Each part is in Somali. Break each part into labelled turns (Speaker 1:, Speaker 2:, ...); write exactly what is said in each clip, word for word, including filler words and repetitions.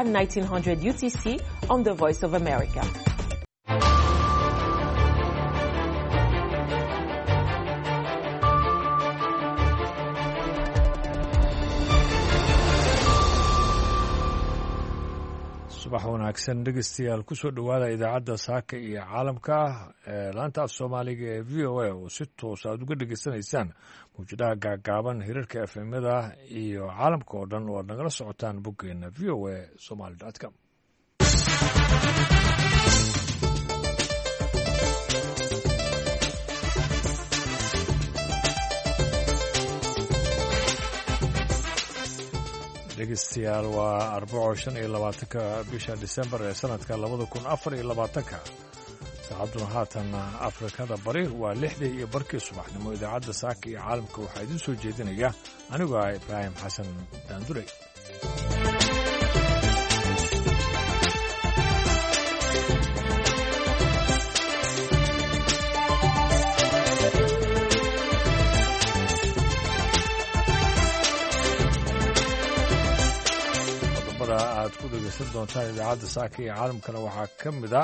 Speaker 1: at nineteen hundred U T C on the Voice of America.
Speaker 2: Subax wanaagsan dhegeystayaal, kusoo dhowaada idaacadda saaka iyo caalamka ee laanta af soomaaliga ee V O A oo si toos aad uga dhegeysanaysaan mawjadaha gaagaaban, hirarka efemyada iyo caalamka oo dhan oo aad nagala socotaan boggeena V O A somaly dot com. Dhegeystayaal, waa arbaco shan iyo labaatanka bisha Disembar ee sanadka labada kun afar iyo labaatanka. Saacadduna haatan Afrikada Bari waa lixdii iyo barkii subaxnimo. Idaacadda saaka iyo caalamka waxaa idiin soo jeedinaya anigoo ah Ibraahim Xasan Daandurey. Aad ku dhegeysan doontaan idaacadda saaka iyo caalamkana waxaa ka mid a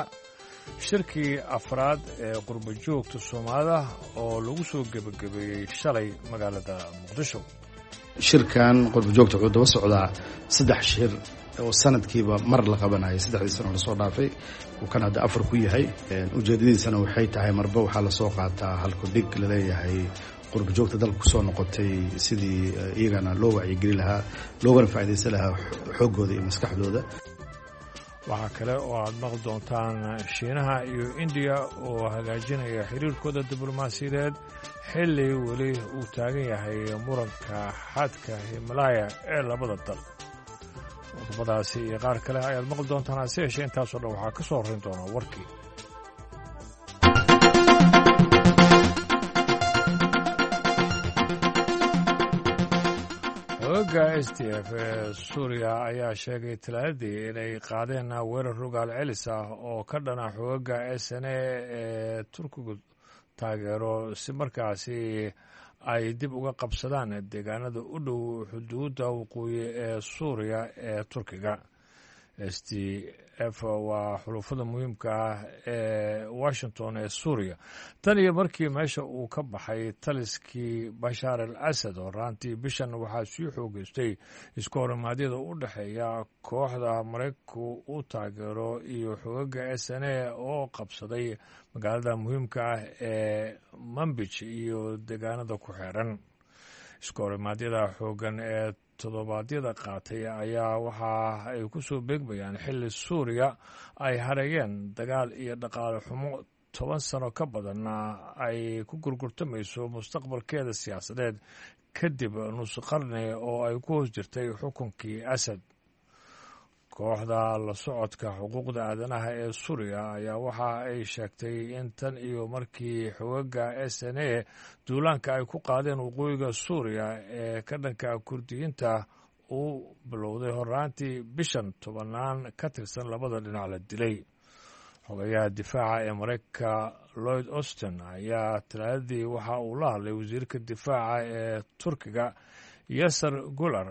Speaker 2: shirkii afraad ee qurbo joogta Soomaalida oo lagu soo gebagabeeyey shalay magaalada Muqdisho.
Speaker 3: Shirkan qurbo joogta wuxuu daba socdaa saddex shir oo sanadkiiba mar la qabanayay saddexdii sano lasoo dhaafay, uu kan hadda afar ku yahay. Ujeedadiisana waxay tahay marba waxaa lasoo qaataa halkudhig laleeyahay qurbo joogta dalka kusoo noqotay sidii iyagana loo wacyigeli lahaa loogana faa'iidaysan lahaa xooggooda iyo maskaxdooda.
Speaker 2: Waxaa kale oo aad maqli doontaan Shiinaha iyo Indiya oo hagaajinaya xiriirkooda diblomaasiyadeed xilli weli uu taagan yahay muranka xadka Himalaya ee labada dal. Qodobadaasi iyo qaar kale ayaad maqli doontaan, hase yeeshee intaasoo dhan waxaa ka soo horrayn doona warkii. Xooga S D F ee Suuriya ayaa sheegay talaadadii inay qaadeen weerar rogaal celis ah oo ka dhana xooga S N A ee Turkigu taageero si markaasi ay dib uga qabsadaan deegaanada u dhow xuduudda waqooyi ee Suuriya ee Turkiga. S D F waa xulufada muhiimka ah ee Washington ee Suuriya tan iyo markii meesha uu ka baxay taliskii Bashaar al Asad oo raantii bishan waxaa sii xoogeystay isku horimaadyada u dhexeeya kooxda Maraykanku u taageero iyo xogaga S N A oo qabsaday magaalada muhiimka ah ee Manbij iyo deegaanada ku xeeran. Isku horimaadyada xoogan ee toddobaadyada qaatay ayaa waxa ay ku soo beegmayaan xilli Suuriya ay hareeyeen dagaal iyo dhaqaale xumo toban sano ka badan ay ku gurgurtamayso mustaqbalkeeda siyaasadeed kadib nus qarni oo ay ku hoos jirtay xukunkii Asad. Kooxda la socodka xuquuqda aadanaha ee Suuriya ayaa waxa ay sheegtay in tan iyo markii xogaga S N A duulaanka ay ku qaadeen waqooyiga Suuriya ee ka dhanka Kurdiyiinta uu bilowday horraantii bishan tobanaan ka tirsan labada dhinac la dilay. Xogayaha difaaca ee Maraykanka Lloyd Austin ayaa talaadadii waxa uu la hadlay wasiirka difaaca ee Turkiga Yasser Gular,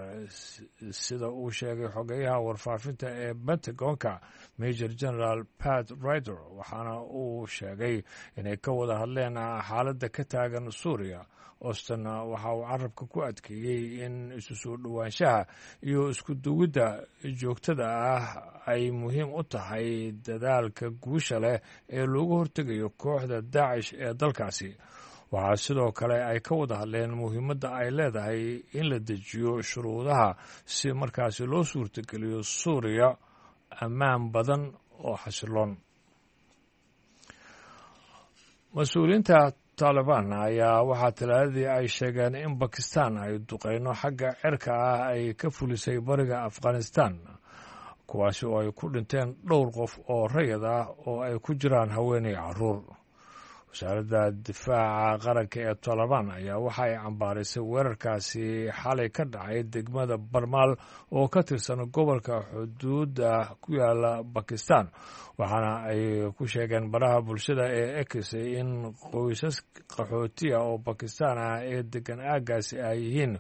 Speaker 2: sida uu sheegay xogeyaha warfaafinta ee Pentagonka Major General Pat Ryder, waxaana uu sheegay inay ka wada hadleen xaaladda ka taagan Suuriya. Austin waxa uu carabka ku adkeeyey in isu soo dhowaanshaha iyo isku duwidda joogtada ah ay muhiim u tahay dadaalka guusha leh ee loogu hortegayo kooxda Daacish ee dalkaasi. Waxaa sidoo kale ay ka wada hadleen muhiimadda ay leedahay in la dejiyo shuruudaha si markaasi loo suurtageliyo Suuriya ammaan badan oo xasiloon. Mas-uuliyiinta Taalibaan ayaa waxaa talaadadii ay sheegeen in Bakistan ay duqeyno xagga cirka ah ay ka fulisay bariga Afghanistan, kuwaasi oo ay ku dhinteen dhowr qof oo rayid ah oo ay ku jiraan haweeney carruur. Wasaaradda difaaca qaranka ee Taalibaan ayaa waxa ay cambaarisay weerarkaasi xalay ka dhacay degmada Barmaal oo ka tirsan gobolka xuduudda ku yaala Bakistan, waxaana ay ku sheegeen baraha bulshada ee X in qoysas qaxootiya oo Bakistan ah ee degan aaggaasi ay yihiin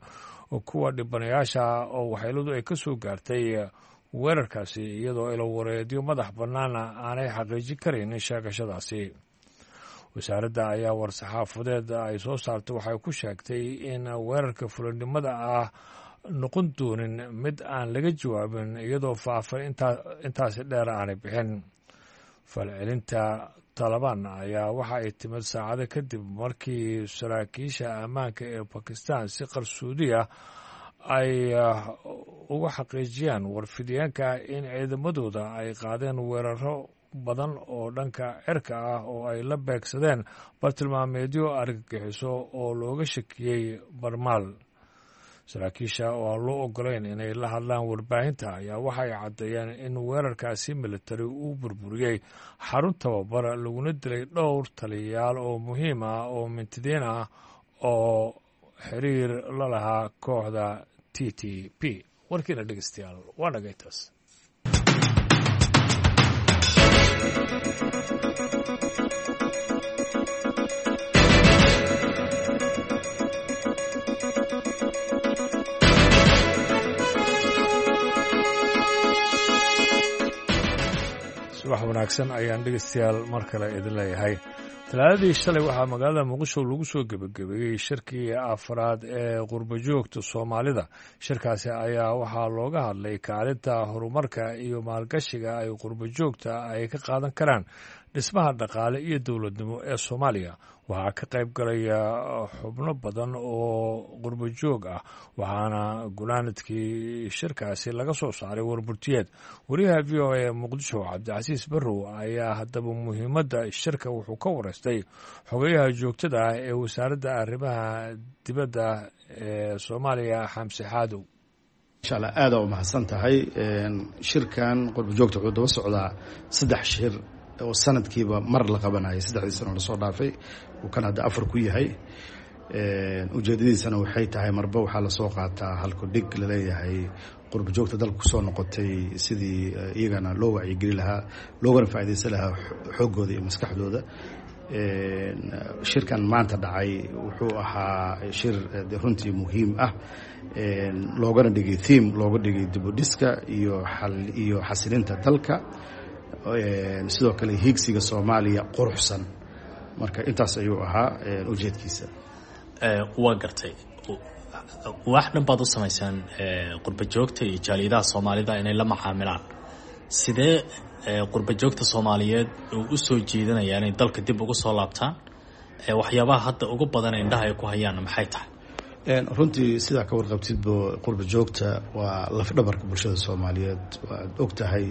Speaker 2: kuwa dhibanayaasha oo waxyeeladu ay ka soo gaartay weerarkaasi, iyadoo ilowareedyo madax bannaana aanay xaqiijin karayn sheegashadaasi. Wasaaradda ayaa war-saxaafadeed ay soo saartay waxay ku sheegtay in weerarka fulinimada ah noqon doonin mid aan laga jawaabin, iyadoo faafan intaasi dheer aanay bixin. Falcelinta Taalibaan ayaa waxa ay timid saacado kadib markii saraakiisha ammaanka ee Bakistan si qarsoodi ah ay uga xaqiijiyaan warfidyaanka in ciidamadooda ay qaadeen weeraro badan oo dhanka cirka ah oo ay la beegsadeen bartilmaameedyo argagixiso oo looga shakiyey Barmaal. Saraakiisha oo aan loo ogolayn inay la hadlaan warbaahinta ayaa waxay caddeeyeen in weerarkaasi militari uu burburiyey xarun tababar, laguna dilay dhowr taliyayaal oo muhiim ah oo mintidiin ah oo xiriir la lahaa kooxda T T P. Warkiina dhegeystayaal waa dhagaytaas. Subax wanaagsan ayaan dhegeystayaal mar kale idin leeyahay. Talaadadii shalay waxaa magaalada Muqdisho lagu soo gebagabeeyey shirkii afraad ee qurbajoogta Soomaalida. Shirkaasi ayaa waxaa looga hadlay kaalinta horumarka iyo maalgashiga ay qurbajoogta ay ka qaadan karaan dhismaha dhaqaale iyo dowladnimo ee Soomaaliya. Waxaa ka qayb galaya xubno badan oo qurbajoog ah, waxaana gunaanadkii shirkaasi laga soo saaray warburtiyeed. Wariyaha V O A ee Muqdisho, Cabdicasiis Barrow, ayaa haddaba muhiimadda shirka wuxuu ka wareystay xogayaha joogtada ah ee Wasaaradda Arrimaha Dibadda ee Soomaaliya, Xamse Xaadow.
Speaker 3: Insha Allah, aada u mahadsan tahay. Shirkan qurbajoogta wuxuu daba socdaa saddex shir oo sanadkiiba mar la qabanayay saddexdii sano lasoo dhaafay, uu kan hadda afar ku yahay. Ujeedadiisana waxay tahay marba waxaa lasoo qaataa halku dhig laleeyahay qurbajoogta dalka kusoo noqotay, sidii iyagana loo wacyigeli lahaa loogana faaidaysan lahaa xooggooda iyo maskaxdooda. Shirkan maanta dhacay wuxuu ahaa shir runtii muhiim ah, loogana dhigay theme, looga dhigay dibudhiska iyo iyo xasilinta dalka, sidoo kale hiigsiga Soomaaliya quruxsan. Marka intaas ayuu ahaa ujeedkiisa.
Speaker 4: Waa gartay. Wax dhan baad u samaysaan qurba joogta iyo jaaliyadaha Soomaalida inay la macaamilaan. Sidee qurba joogta Soomaaliyeed uu usoo jiidanaya inay dalka dib ugu soo laabtaan? Waxyaabaha hadda ugu badan indhaha ay ku hayaanna maxay tahay?
Speaker 3: Runtii, sidaa ka warqabtidbo, qurba joogta waa lafdhabarka bulshada Soomaaliyeed. Waad og tahay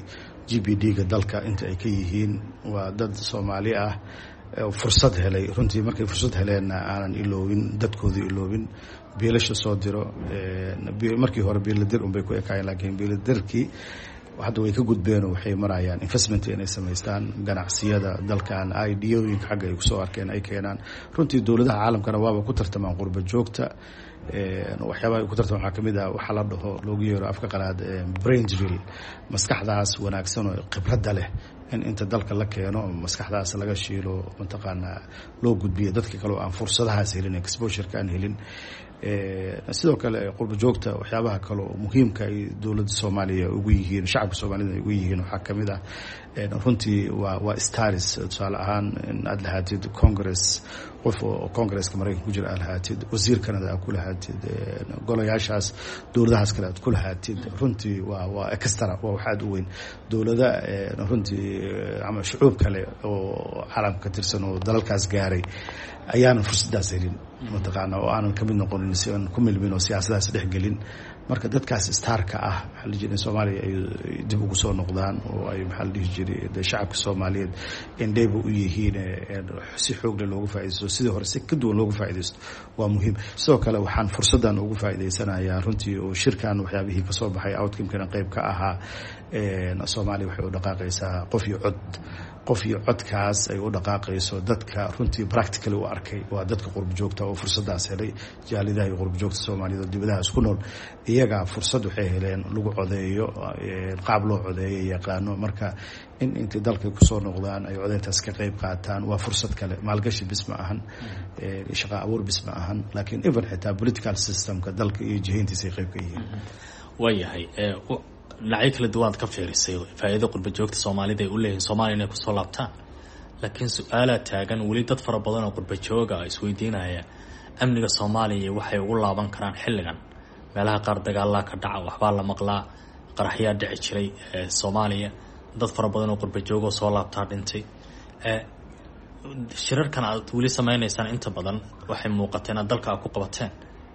Speaker 3: G D P-ga dalka inta ay ka yihiin. Waa dad Soomaali ah fursad helay. Runtii markay fursad heleenna aanan iloobin dadkooda, iloobin biilasha soo diro. Markii hore biiladir unbay ku ekaayeen, laakiin biiladirkii hadda way ka gudbeenoo waxay marayaan investment inay samaystaan, ganacsiyada dalkan ideooyinka xagga ay kusoo arkeen ay keenaan. Runtii dowladaha caalamkana waaba ku tartamaan qurba joogta. Waxyaabaha ay ku tartamaan waxaa kamid ah waxaa la dhaho, loogu yeero afka qalaad brain drill, maskaxdaas wanaagsan oo khibradda leh in inta dalka la keeno maskaxdaas laga shiilo, mataqaanaa, loo gudbiyo dadka kale oo aan fursadahaas helin, exposure-ka aan helin. Sidoo kale qurba joogta waxyaabaha kale oo muhiimka ay dowladda Soomaaliya ugu yihiin, shacabka Soomaalida ay ugu yihiin, waxaa kamid ah runtii waa waa stars. Tusaale ahaan, in aad lahaatid Congress, qof oo Congresska Maraykanka ku jira aad lahaatid, wasiir Canada aad ku lahaatid, golayaashaas dowladahaas kale aad ku lahaatid, runtii waa waa extra, waa wax aad u weyn. Dowlada runtii ama shucuub kale oo caalamka ka tirsan oo dalalkaas gaaray ayaanan fursadaas helin, mataqaana, oo aanan kamid noqonin, si aan ku milmin oo siyaasadaas dhexgelin. Marka dadkaas starka ah, maxaa la jira, in Soomaaliya ay dib ugu soo noqdaan oo ay, maxaa la dhihi jiray, de shacabka Soomaaliyeed indheyba u yihiin, si xoogle looga faaidaysto, sidii hore si ka duwan looga faaidaysto waa muhiim. Sidoo kale waxaan fursaddan ugu faa'idaysanayaa runtii oo shirkan waxyaabihii kasoo baxay outcome-kana qeyb ka ahaa, Soomaaliya waxay u dhaqaaqaysaa qof iyo cod. Qof iyo codkaas ay u dhaqaaqayso, dadka runtii practically u arkay waa dadka qurba joogta oo fursadaas helay. Jaalidaha iyo qurba joogta Soomaaliyed oo dibadahaas ku nool, iyagaa fursad waxay heleen lagu codeeyo, qaab loo codeeyo yaqaano. Marka in intay dalka kusoo noqdaan ay codeyntaas ka qeyb qaataan waa fursad kale. Maalgashi bis ma ahan, shaqa abuur bis ma ahan, laakiin even xitaa political systemka dalka iyo jihayntiisa ay qeyb ka yihiin.
Speaker 4: Waayahay. Dhinacyo kala duwan aad ka fiirisay faa'iidada qurba joogta Soomaalida ay u leeyihiin Soomaaliya inay kusoo laabtaan, laakiin su-aalaa taagan weli dad fara badan oo qurba jooga isweydiinaya amniga Soomaaliya waxay ugu laaban karaan xilligan. Meelaha qaar dagaalaa ka dhaca, waxbaa la maqlaa, qaraxyaa dhici jiray Soomaaliya, dad fara badan oo qurba joogoo soo laabtaa dhintay. Shirarkan aad weli sameyneysaan inta badan waxay muuqateen inaad dalka aad ku qabateen,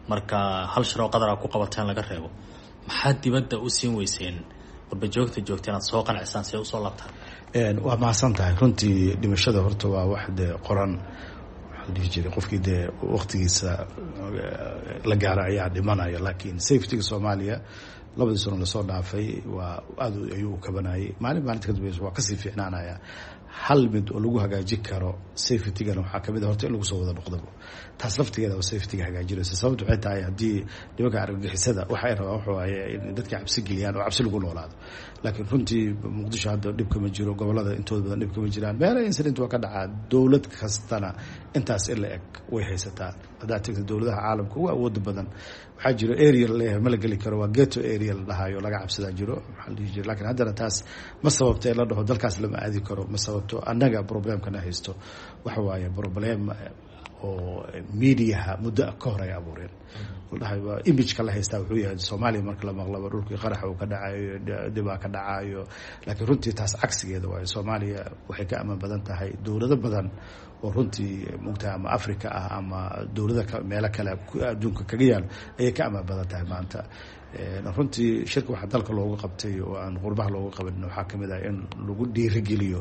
Speaker 4: marka hal shir oo qadar aad ku qabateen laga reebo, maxaad dibadda u siin weyseen qurba joogta joogta inaad soo qancisaan si ay usoo laabtaan?
Speaker 3: Waa mahadsan tahay. Runtii dhimashada horta waa wax dee qoran, waxaa la dhihi jiray qofkii dee waqtigiisa la gaaro ayaa dhimanaya. Laakiin safetyga Soomaaliya labadii sano lasoo dhaafay waa aad ayuu u kabanayay, maalin maalinta ka dambeysa waa kasii fiicnaanaya. Hal mid oo lagu hagaajin karo safetygana waxaa kamid a horta in lagu soo wada noqdabo, taas laftigeeda oo safetyga hagaajinaysa. Sababta waxay tahay haddii nimanka argagixisada waxa ay rabaan wuxuu waaye in dadka cabsi geliyaan oo cabsi lagu noolaado. Laakiin runtii Muqdisho hadda dhib kama jiro, gobolada intooda badan dhib kama jiraan, meela incident waa ka dhacaa. Dowlad kastana intaas in la eg way haysataa. Haddaad tagto dowladaha caalamka ugu awooda badan, waxaa jiro area laleeyahay ma la geli karo, waa ghetto area la dhahayo, laga cabsadaa jiro, maxaa la dhihi jira. Lakiin haddana taas ma sababto in la dhaho dalkaas lama aadi karo, ma sababto. Annaga problemkana haysto waxa waaye problem oo mediaha muddo ka hor ay abuureen, ladhahay imageka la haystaa wuxuu yahay Soomaaliya marka la maqlaba dhulkii qaraxa uu ka dhacayo, dhibaa ka dhacayo. Laakiin runtii taas cagsigeeda waayo, Soomaaliya waxay ka amaan badan tahay dowlado badan oo runtii mugtahay ama Africa ah ama dowlada meelo kale adduunka kaga yaalo ayay ka amaan badan tahay maanta. Runtii shirka waxaa dalka loogu qabtay oo aan qurbaha loogu qabanin waxaa kamid ah in lagu dhiirigeliyo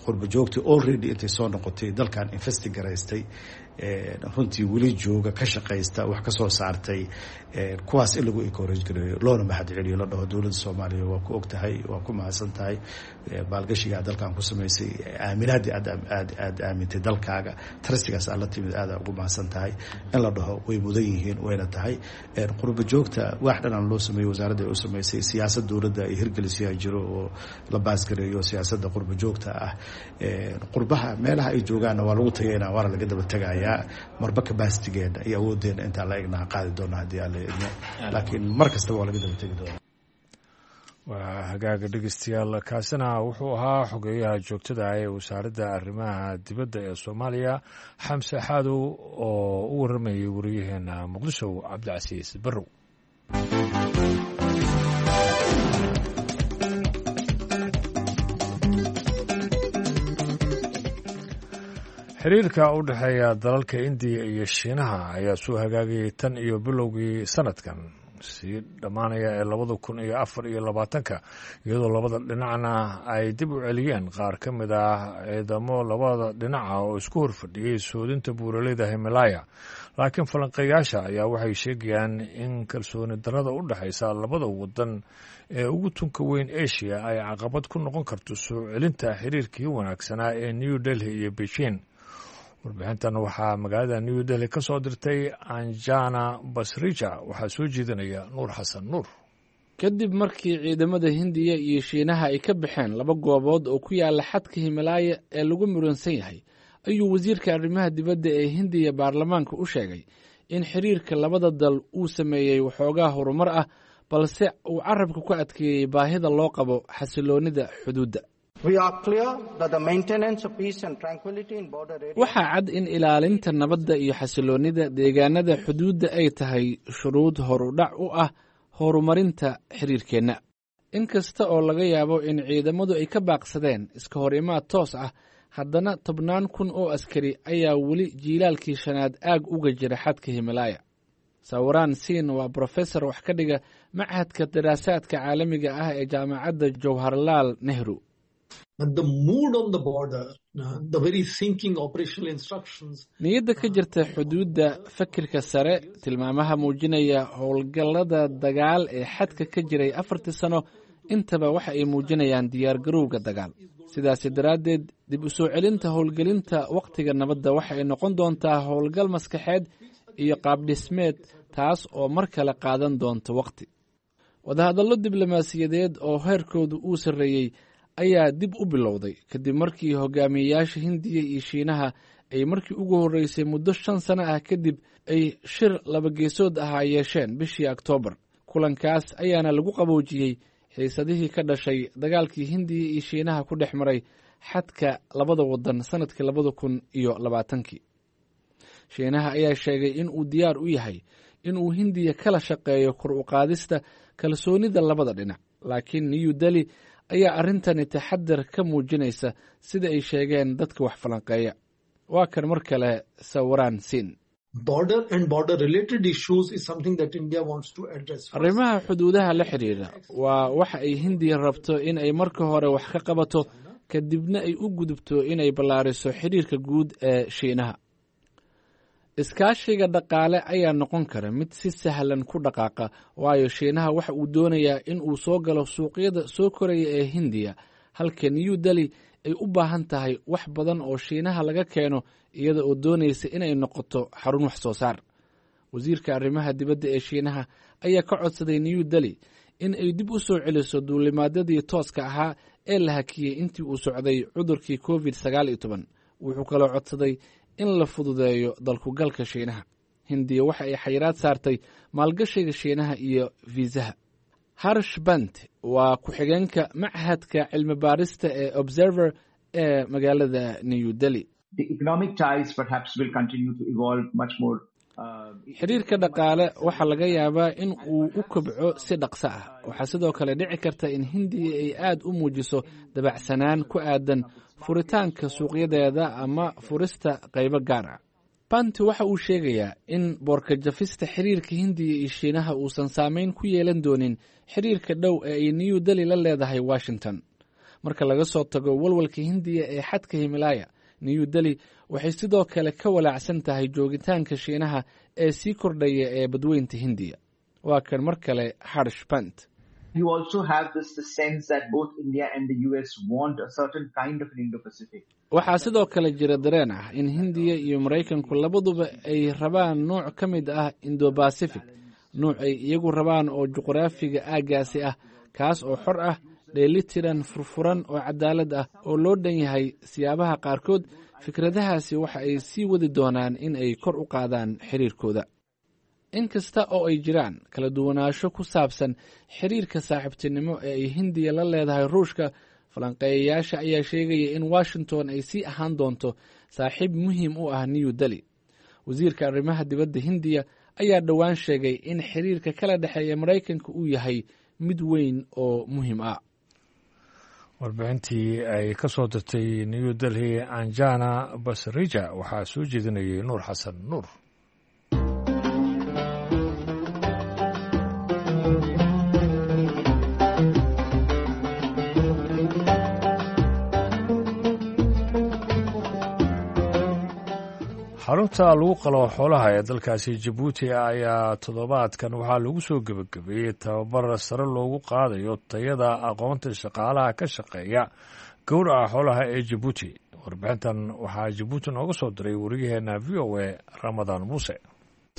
Speaker 3: qurba joogtii already intay soo noqotay dalkan investi garaystay, runtii weli jooga, ka shaqaysta, wax ka soo saartay, kuwaas in lagu encourage gareeyo loona mahad celiyo, la dhaho dowladda Soomaaliya waa ku og tahay, waa ku mahadsan tahay maalgashigaa dalkan ku samaysay, aaminaadii aad aad aad aamintay dalkaaga, trustigaas aad la timid, aada ugu mahadsan tahay in la dhaho. Way mudan yihiin, wayna tahay. Qurba joogta wax dhanaan loo sameeyey, wasaaradda ay u samaysay, siyaasad dowladda ay hirgelisiyaa jiro oo la baasgareeyo siyaasadda qurba joogta ah. Qurbaha meelaha ay joogaanna waa lagu tageynaa, waana laga daba tegayaa marba capacitygeena iyo awooddeena intaan la egnaha qaadi doona haddii Alla idmo, laakiin mar kastaba waa laga daba tegi doona.
Speaker 2: Waa hagaaga dhegeystayaal, kaasina wuxuu ahaa xogeeyaha joogtada ee wasaaradda arrimaha dibadda ee Soomaaliya, Xamse Xaadow, oo u warramayay wariyaheena Muqdisho Cabdicasiis Barrow. Xiriirka u dhexeeya dalalka Indiya iyo Shiinaha ayaa soo hagaagayay tan iyo bilowgii sanadkan sii dhammaanaya ee labada kun iyo afar iyo labaatanka, iyadoo labada dhinacna ay dib u celiyeen qaar ka mid ah ciidamo labada dhinaca oo isku horfadhiyey soodinta buuraleyda Himalaya. Laakiin falanqeeyaasha ayaa waxay sheegayaan in kalsooni darrada u dhexaysa labada wadan ee ugu tunka weyn Asia ay caqabad ku noqon karto soo celinta xiriirkii wanaagsanaa ee New Delhi iyo Beijing. Warbixintan waxaa magaalada New Delhi ka soo dirtay Anjana Basrija, waxaa soo jeedinaya Nuur Xasan Nuur.
Speaker 5: Kadib markii ciidamada Hindiya iyo Shiinaha ay ka baxeen laba goobood oo ku yaala xadka Himalaaya ee lagu muransan yahay, ayuu wasiirka arrimaha dibadda ee Hindiya baarlamaanka u sheegay in xiriirka labada dal uu sameeyey waxoogaa horumar ah, balse uu carabka ku adkeeyey baahida loo qabo xasiloonnida xuduudda. Waxaa cad in ilaalinta nabadda iyo xasiloonnida deegaanada xuduudda ay tahay shuruud horudhac u ah horumarinta xiriirkeenna. In kasta oo laga yaabo in ciidamadu ay ka baaqsadeen iska hor imaad toos ah, haddana tobnaan kun oo askari ayaa weli jiilaalkii shanaad aag uga jira xadka Himalaaya. Sawiraan Siin waa brofesor wax ka dhiga machadka daraasaadka caalamiga ah ee jaamacadda Jawharlaal Nehru. Niyadda ka jirta xuduudda, fakirka sare, tilmaamaha muujinaya howlgallada dagaal ee xadka ka jiray afartii sano, intaba waxa ay muujinayaan diyaargarowga dagaal. Sidaasi daraaddeed, dib u soo celinta howlgelinta wakhtiga nabadda waxa ay noqon doontaa howlgal maskaxeed iyo qaabdhismeed, taas oo mar kale qaadan doonta wakhti. Wadahadallo diblomaasiyadeed oo heerkoodu uu sarreeyey ayaa dib u bilowday kadib markii hogaamiyeyaasha Hindiya iyo Shiinaha ay markii ugu horreysay muddo shan sano ah kadib ay shir labageesood ahaa yeesheen bishii Oktoobar. Kulankaas ayaana lagu qaboojiyey xiisadihii ka dhashay dagaalkii Hindiya iyo Shiinaha ku dhex maray xadka labada waddan sannadkii labada kun iyo labaatankii. Shiinaha ayaa sheegay in uu diyaar u yahay in uu Hindiya kala shaqeeyo kor u qaadista kalsoonida labada dhinac, laakiin New Delhi ayaa arrintani taxadar ka muujinaysa, sida ay sheegeen dadka wax falanqeeya. Waa kan mar kale Sawiraan Siin. Arrimaha xuduudaha la xidhiidha waa waxa ay Hindiya rabto in ay marka hore wax ka qabato, kadibna ay u gudubto inay ballaariso xidhiirka guud ee Shiinaha. Iskaashiga dhaqaale ayaa noqon kara mid si sahlan ku dhaqaaqa, waayo Shiinaha waxa uu doonayaa in uu soo galo suuqyada soo koraya ee Hindiya, halka New Delhi ay u baahan tahay wax badan oo Shiinaha laga keeno, iyada oo doonaysa inay noqoto xarun wax soo saar. Wasiirka arrimaha dibadda ee Shiinaha ayaa ka codsaday New Delhi in ay dib u soo celiso duulimaadyadii tooska ahaa ee la hakiyey intii uu socday cudurkii Covid sagaal iyo toban. Wuxuu kaloo codsaday in la fududeeyo dalkugalka Shiinaha. Hindiya waxa ay xayiraad saartay maalgashiga Shiinaha iyo fiisaha. Harsh Bant waa ku-xigeenka machadka cilmi baarista ee Observer ee magaalada New Delhi. Xiriirka dhaqaale waxaa laga yaabaa in uu u kobco si dhaqso ah. Waxaa sidoo kale dhici karta in Hindiya ay aad u muujiso dabacsanaan ku aadan furitaanka suuqyadeeda ama furista qaybo gaar ah. Banti waxa uu sheegayaa in boorkajafista xiriirka Hindiya iyo Shiinaha uusan saameyn ku yeelan doonin xiriirka dhow ee ay New Delhi la leedahay Washington. Marka laga soo tago walwalka Hindiya ee xadka Himalaaya, New Delhi waxay sidoo kale ka walaacsan tahay joogitaanka Shiinaha ee sii kordhaya ee badweynta Hindiya. Waa kan mar kale Harsh Bant. Waxaa sidoo kale jira dareen ah in Hindiya iyo Maraykanku labaduba ay rabaan nooc ka mid ah Indo-Bacific, nooc ay iyagu rabaan oo juqraafiga aaggaasi ah, kaas oo xor ah, dheelitiran, furfuran oo cadaalad ah oo loo dhan yahay. Siyaabaha qaarkood fikradahaasi waxa ay sii wadi doonaan in ay kor u qaadaan xiriirkooda. Inkasta oo ay jiraan kala duwanaansho ku saabsan xiriirka saaxiibtinimo ee ay Hindiya la leedahay Ruushka, falanqeeyayaasha ayaa sheegaya in Washington ay sii ahaan doonto saaxiib muhiim u ah New Delhi. Wasiirka arrimaha dibadda Hindiya ayaa dhowaan sheegay in xiriirka kala dhexeeya Maraykanka uu yahay mid weyn oo muhiim ah.
Speaker 2: Warbixintii ay ka soo dirtay New Delhi Anjana Basrija waxaa soo jeedinayay Nuur Xasan Nuur. Xarunta lagu qalo xoolaha ee dalkaasi Jabuuti ayaa toddobaadkan waxaa lagu soo gebagabeeyey tababar sare loogu qaadayo tayada aqoonta shaqaalaha ka shaqeeya gowraca xoolaha ee Jabuuti. Warbixintan waxaa Jabuuti nooga soo diray wariyaheena V O A Ramadaan Muuse.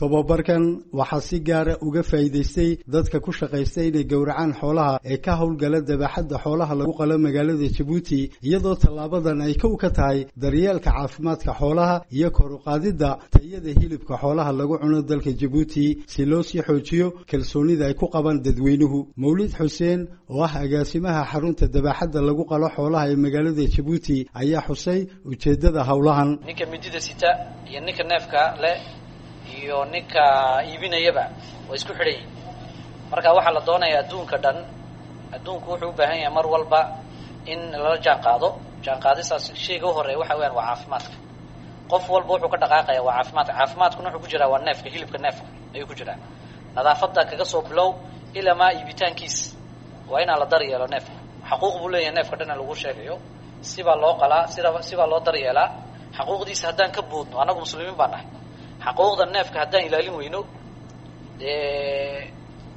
Speaker 6: Tobabarkan waxaa si gaara uga faa'iidaystay dadka ku shaqaysta inay gowracaan xoolaha ee ka howlgala dabaxadda xoolaha lagu qalo magaalada Jabuuti, iyadoo tallaabadan ay kow ka tahay daryeelka caafimaadka xoolaha iyo kor u qaadidda tayada hilibka xoolaha lagu cuno dalka Jabuuti, si loo sii xoojiyo kalsoonida ay ku qabaan dadweynuhu. Mawlid Xuseen oo ah agaasimaha xarunta dabaxadda lagu qalo xoolaha ee magaalada Jabuuti ayaa xusay ujeeddada howlahan.
Speaker 7: Ninka midida sita iyo ninka neefka leh iyo ninka iibinayaba waa isku xidhan yihin. Marka waxaa la doonayaa adduunka dhan, adduunku wuxuu u baahan yahay mar walba in lala jaan qaado. Jaan qaadistaas shayga u horeeya waxa weyaan waa caafimaadka. Qof walba wuxuu ka dhaqaaqaya waa caafimaadka. Caafimaadkuna wuxuu ku jiraa waa neefka, hilibka neefka ayuu ku jiraa. Nadaafadda kaga soo bilow ilaa maa iibitaankiis waa inaan la daryeelo neefka. Xaquuq buu leeyahay neefka dhan in lagu sheegayo, sibaa loo qalaa, sida sibaa loo daryeelaa. Xaquuqdiisa haddaan ka boodno, annagu muslimiin baan nahay, xaquuqda neefka haddaan ilaalin weyno dee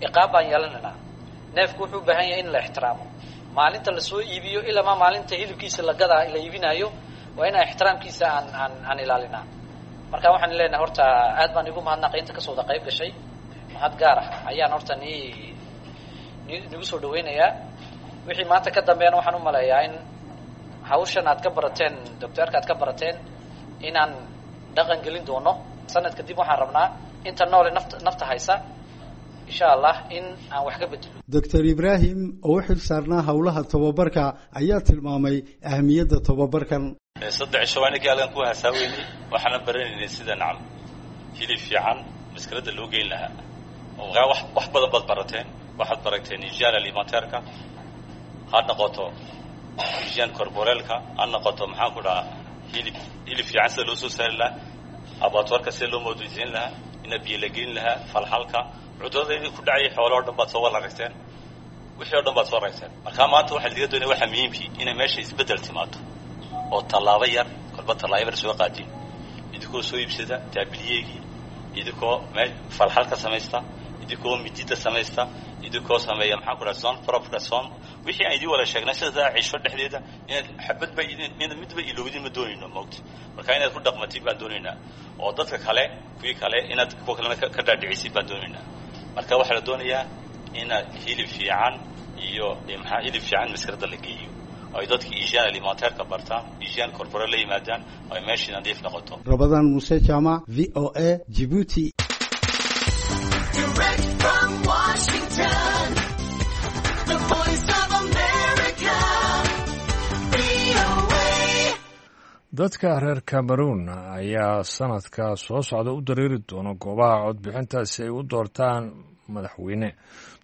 Speaker 7: iqaab baan yeelanaynaa. Neefku wuxuu u baahan yahay in la ixtiraamo. Maalinta lasoo iibiyo ilamaa maalinta hilibkiisa la gadaa la iibinaayo waa inaan ixtiraamkiisa aan aan aan ilaalinaa. Marka waxaan leenahay horta aad baan igu mahadnaqay inta kasoo wada qayb gashay. Mahad gaar ah ayaan horta ni ni nigu soo dhaweynayaa. Wixii maanta ka dambeeyana waxaan u maleeyaa in hawshan aad ka barateen, doctoorka aad ka barateen, inaan dhaqan gelin doono. Sanad kadib waxaan rabnaa inta noole nafta nafta haysa insha Allah in aan wax ka bedelo.
Speaker 6: Doctor Ibraahim oo u xil saarnaa howlaha tababarka ayaa tilmaamay ahmiyadda tababarkan.
Speaker 8: Saddex cisho waa ninkii halkan ku hasaaweynay, waxaana baranaynay sida nacam hilib fiican maskaradda loo geyn lahaa. Wax wax badan baad barateen, waxaad barateen hygiene alimentaire-ka, ha noqoto hygiene corporel-ka, ha noqoto maxaan ku dhahaa hilib hilib fiican sida loo soo saari lahaa, abattoir-ka sida loo moodaysiin lahaa, ina biyo la gelin lahaa, falxalka cudurrada idin ku dhacayay xoolahoo dhan baad soo wada aragteen, wixii o dhan baad soo aragteen. Marka maanta waxaa laga doonaya waxaa muhiimkii inay meesha isbeddel timaado oo tallaabo yar kolba tallaabo yar soo qaadin, idinkoo soo iibsada taabiliyeygii, idinkoo mee falxalka samaysta, idinkoo midida samaysta, idinkoo sameeya maxaan ku dhaha zone propka zone, wixii aan idiin wada sheegnay sidaa cisho dhexdeeda inaad xabadba inaad midba ilowdin ma doonayno moogta. Marka inaad ku dhaqmatid baan doonaynaa, oo dadka kale kuwii kale inaad kuwa kalena ka dhaadhicisid baan doonaynaa. Marka waxaa la doonayaa inaad hilib fiican iyo maxaa hilib fiican maskaradda la geeyo, ay dadka hygiene alimentaire-ka bartaan, hygiene corporel la yimaadaan, ay meeshii nadiif noqoto.
Speaker 6: Rabadaan Muuse Jaamac, V O A, Djibouti.
Speaker 9: Direct from Washington, the Voice of America, V O A.
Speaker 2: Dadka reer Cameroon ayaa sanadka soo socda u dareeri doona goobaha codbixinta si ay u doortaan madaxweyne.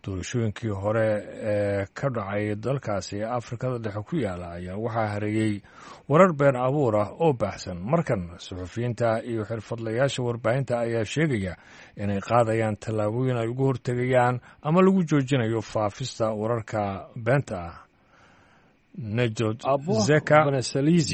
Speaker 2: Doorashooyinkii hore ee ka dhacay dalkaasi ee Afrikada Dhexe ku yaala ayaa waxaa hareeyey warar been abuur ah oo baahsan. Markan suxufiyiinta iyo xirfadlayaasha warbaahinta ayaa sheegaya inay qaadayaan tallaabooyin ay ugu hortegayaan ama lagu joojinayo faafista wararka beenta ah. Nejod Zeka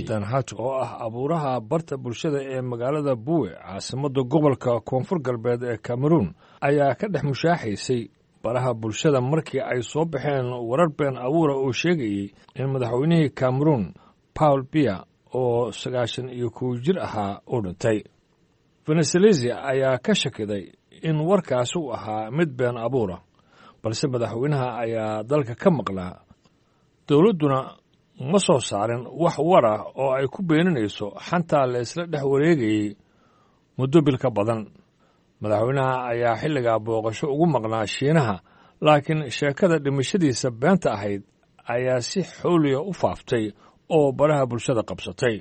Speaker 2: Danhatu oo ah abuuraha barta bulshada ee magaalada Buwe, caasimadda gobolka Koonfur Galbeed ee Cameroon, ayaa ka dhex mushaaxaysay baraha bulshada markii ay soo baxeen warar been abuura oo sheegayey in madaxweynihii Cameroon Paul Biya oo sagaashan iyo kow jir ahaa uu dhintay. Venezelezi ayaa ka shakiday in warkaasi uu ahaa mid been abuura, balse madaxweynaha ayaa dalka ka maqlaa, dowladduna ma soo saarin wax war ah oo ay ku beeninayso xantaa la isla dhex wareegayey muddo bil ka badan. Madaxweynaha ayaa xilligaa booqasho ugu maqnaa Shiinaha, laakiin sheekada dhimashadiisa beenta ahayd ayaa si xowliya u faaftay oo baraha bulshada qabsatay.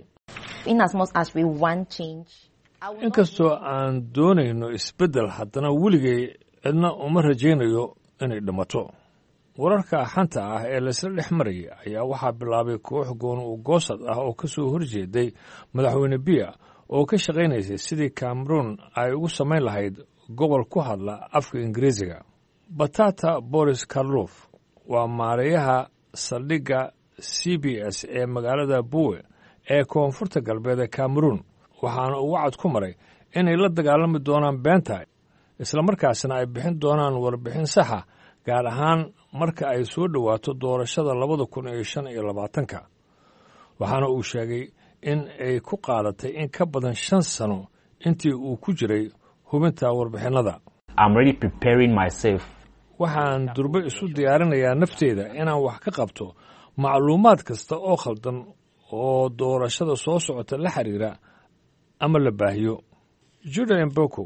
Speaker 2: Inkastoo aan doonayno isbeddel, haddana weligay cidna uma rajaynayo inay dhimato. Wararka xanta ah ee laysla dhex marayay ayaa waxaa bilaabay koox gooni u goosad ah oo ka soo horjeeday madaxweyne Biya oo ka shaqaynaysay sidii Cameroon ay ugu samayn lahayd gobol ku hadla afka Ingiriisiga. Batata Boris Karlof waa maareeyaha saldhigga C B S ee magaalada Buwe ee koonfurta galbeed ee Cameroon, waxaana uu wacad ku maray inay la dagaalami doonaan beenta, islamarkaasna ay bixin doonaan warbixin saxa, gaar ahaan marka ay soo dhowaato doorashada labada kun iyo shan iyo labaatanka. Waxaana uu sheegay in ay ku qaadatay in ka badan shan sano intii uu ku jiray hubinta warbixinnada. Waxaan durbe isu diyaarinayaa nafteyda inaan wax ka qabto macluumaad kasta oo khaldan oo doorashada soo socota la xiriira ama la baahiyo. Juda Mboko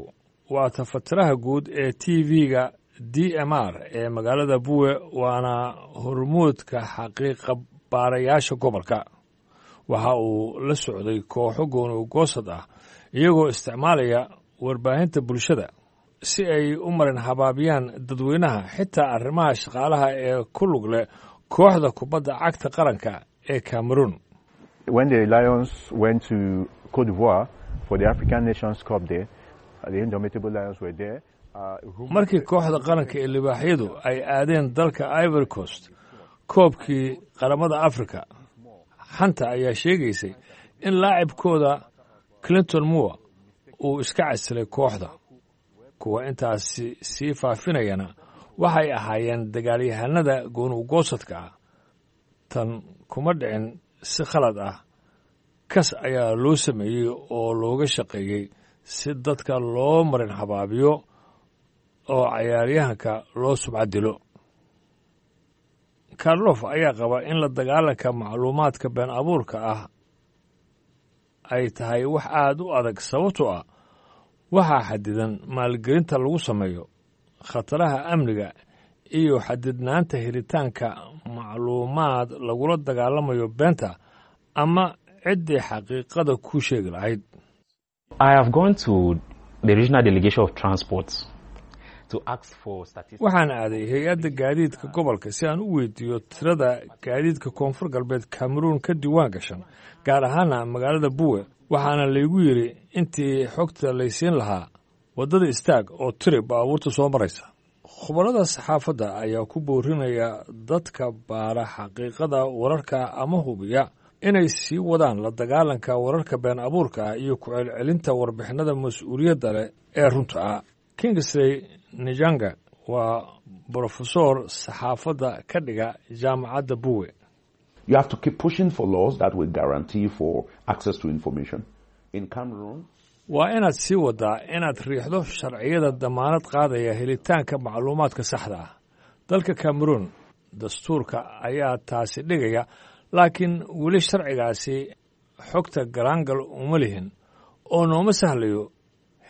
Speaker 2: waa tafatiraha guud ee T V-ga D M R ee magaalada Buwe, waana hormuudka xaqiiqa baarayaasha gobolka. Waxa uu la socday kooxo gooni goosad ah iyagoo isticmaalaya warbaahinta bulshada si ay u marin habaabiyaan dadweynaha, xitaa arrimaha shaqaalaha ee ku lug leh kooxda kubadda cagta qaranka ee Cameroon.
Speaker 10: When the Lions went to Cote d'Ivoire for the African Nations Cup there, the Indomitable Lions were there.
Speaker 2: Markii kooxda qaranka ee libaaxyadu ay aadeen dalka Ivory Coast koobkii qaramada Afrika, xanta ayaa sheegaysay in laacibkooda Clinton Moore uu iska casilay kooxda. Kuwa intaasi sii faafinayana waxay ahaayeen dagaalyahanada gooni-ugoosadka ah. Tan kuma dhicin si khalad ah, kas ayaa loo sameeyey oo looga shaqeeyey si dadka loo marin habaabiyo oo cayaaryahanka loo subca dilo. Karlof ayaa qaba in la dagaalanka macluumaadka been abuurka ah ay tahay wax aad u adag, sababtoo ah waxaa xadidan maalgelinta lagu sameeyo, Khataraha amniga iyo xadidnaanta helitaanka macluumaad lagula dagaalamayo beenta ama ciddii xaqiiqada ku sheegi lahayd.
Speaker 11: I have gone to the regional delegation of transport to ask for statistics.
Speaker 2: Waxaan aaday hay-adda gaadiidka gobolka si aan u weydiiyo tirada gaadiidka Koonfur Galbeed Cameroon ka diiwaan gashan, gaar ahaana magaalada Buwe. Waxaana laygu yidhi intii xogta laysiin lahaa, waddada istaag oo tiri baabuurta soo maraysa. Khubarada saxaafadda ayaa ku boorinaya dadka baara xaqiiqada wararka ama hubiya inay sii wadaan la dagaalanka wararka been abuurka ah iyo ku celcelinta warbixinada mas-uuliyadda leh ee runta ah. Kingsley Nijanga waa brofesor saxaafadda ka dhiga jaamacadda Buwe.
Speaker 12: You have to keep pushing for laws that will guarantee for access to information. In Cameroon,
Speaker 2: waa inaad sii wadaa inaad riixdo sharciyada damaanad qaadaya helitaanka macluumaadka saxda ah. Dalka Cameroon dastuurka ayaa taasi dhigaya, laakiin weli sharcigaasi xogta galaangal uma lihin oo nooma sahlayo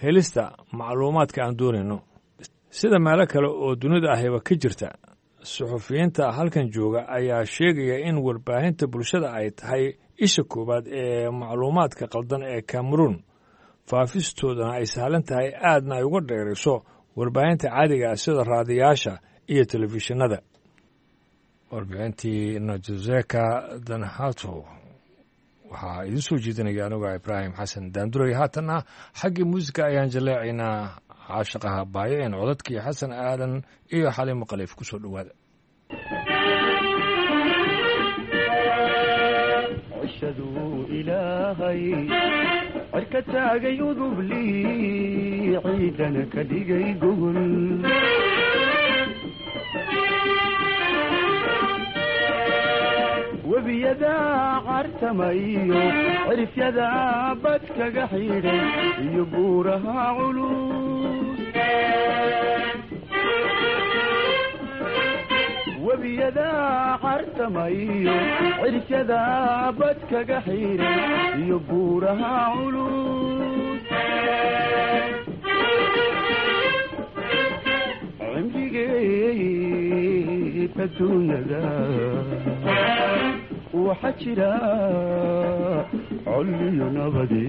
Speaker 2: helista macluumaadka aan doonayno. Sida meelo kale oo dunida ahiba ka jirta, suxufiyiinta halkan jooga ayaa sheegaya in warbaahinta bulshada ay tahay isha koowaad ee macluumaadka qaldan ee Cameroon, faafistoodana ay sahlan tahay, aadna ay uga dheerayso warbaahinta caadiga ah sida raadiyaasha iyo telefishinada. Warbixintii Najoseka Danhato waxaa idiin soo jeedinaya anuga Ibraahim Xasan Daanduray. Haatanna xaggii muusika ayaan jaleecaynaa, caashaqaha baayaceen, codadkii Xasan Aadan iyo Xaliimo Khaliif. Ku soo dhowaada.
Speaker 13: Cishaduu Ilaahay cirka taagay udublii, ciidana ka dhigay gogol. Webiyadaa cartamayo, cirifyadaa bad kaga xidhay iyo buuraha culus. Webiyadaa cartamayo, cirifyadaa bad kaga xidhay iyo buuraha culus. Cimrigeed adduunyada waxa jira colliyo nabade,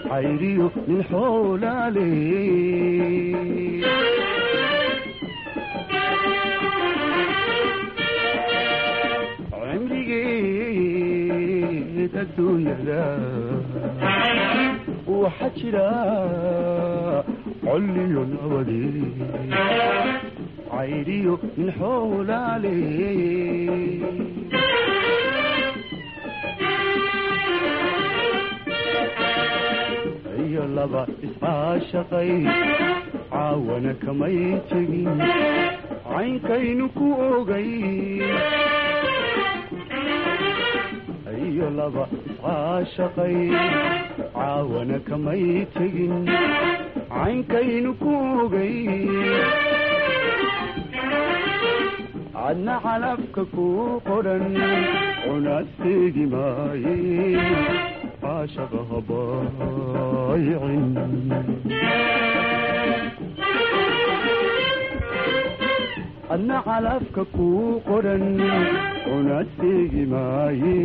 Speaker 13: cayriyo nin xoolaale. Cimrigeed adduunyada waxa jira colliyo nabade, cayriyo nin xoolaale. Iyo laba iscaashaqay caawana kamay tegin, caynkaynu ku ogay. Iyo laba iscaashaqay caawana kamay tegin, caynkaynu ku ogay. Adna calafka ku qoran cunaseegi maaye, caashaqa habaayicin. Adna calafka ku qoran cunaseegi maaye.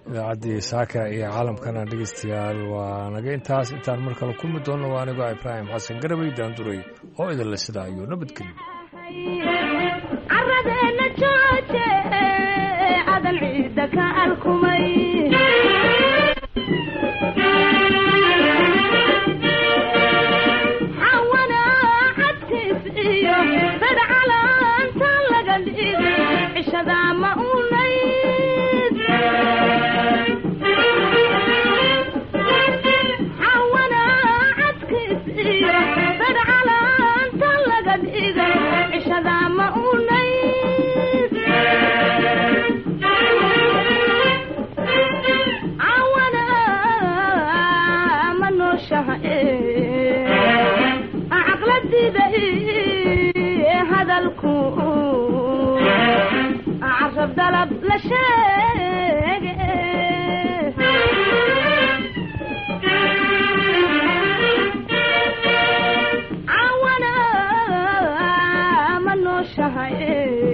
Speaker 2: Idaacaddii saaka iyo caalamkana, dhegeystayaal, waa naga intaas. Intaan mar kale kulmi doonno, waa anigoo Ibraahim Xasan Garabay Daanduray oo idinle sidaa iyo nabadgelyo.
Speaker 14: Caradeena jooje adan ciidda ka alkumay. Xawana cadkiis iyo dad calaanta laga dhigay cishada ma unayd. Xawana cadkiis iyo dad calaanta laga dhigay cishada ma unayd. Cawana ma nooshaha caqladida hadalku carab dalab la sheeg.